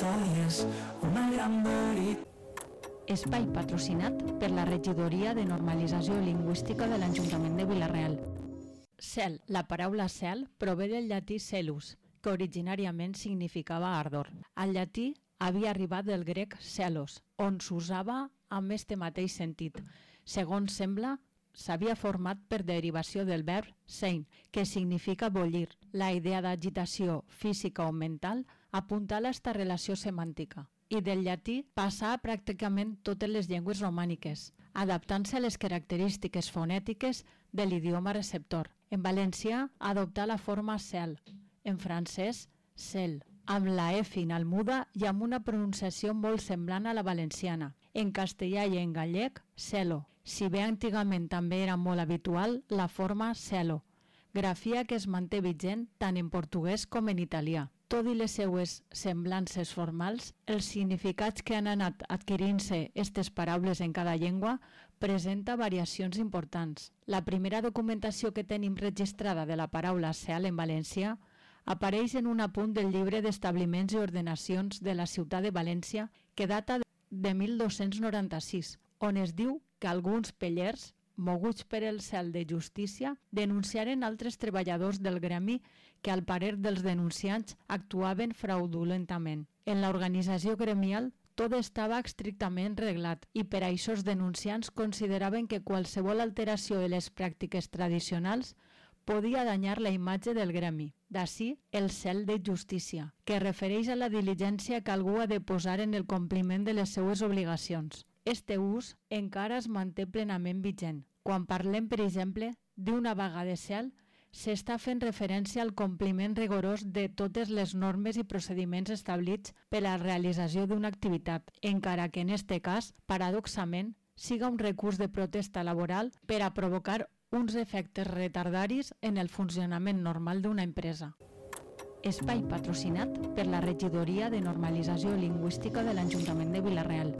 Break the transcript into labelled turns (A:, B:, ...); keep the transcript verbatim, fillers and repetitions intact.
A: històries, una gran veritat.
B: Espai patrocinat per la Regidoria de Normalització Lingüística de l'Ajuntament de Vila-real. Cel. La paraula cel prové del llatí celus, que originàriament significava ardor. Al llatí havia arribat del grec celos, on s'usava amb este mateix sentit. Segons sembla, s'havia format per derivació del verb sein, que significa bollir. La idea d'agitació física o mental apunta a esta relació semàntica. I del llatí passà a pràcticament totes les llengües romàniques, adaptant-se a les característiques fonètiques de l'idioma receptor. En valencià adoptà la forma cel, en francès cel, amb la e final muda i amb una pronunciació molt semblant a la valenciana. En castellà i en gallec, celo, si bé antigament també era molt habitual la forma celo, grafia que es manté vigent tant en portuguès com en italià. Tot i les seues semblances formals, els significats que han anat adquirint-se aquestes paraules en cada llengua presenta variacions importants. La primera documentació que tenim registrada de la paraula cel en valencià apareix en un apunt del llibre d'establiments i ordenacions de la ciutat de València que data de mil dos-cents noranta-sis, on es diu que alguns pellers, moguts per el cel de justícia, denunciaren altres treballadors del gremi que al parer dels denunciants actuaven fraudulentament. En l'organització gremial tot estava estrictament reglat i per això els denunciants consideraven que qualsevol alteració de les pràctiques tradicionals podia danyar la imatge del gremi. D'ací el cel de justícia, que refereix a la diligència que algú ha de posar en el compliment de les seues obligacions. Este ús encara es manté plenament vigent. Quan parlem, per exemple, d'una vaga de cel, s'està fent referència al compliment rigorós de totes les normes i procediments establits per a la realització d'una activitat, encara que en este cas, paradoxament, siga un recurs de protesta laboral per a provocar uns efectes retardaris en el funcionament normal d'una empresa. Espai patrocinat per la Regidoria de Normalització Lingüística de l'Ajuntament de Vila-real.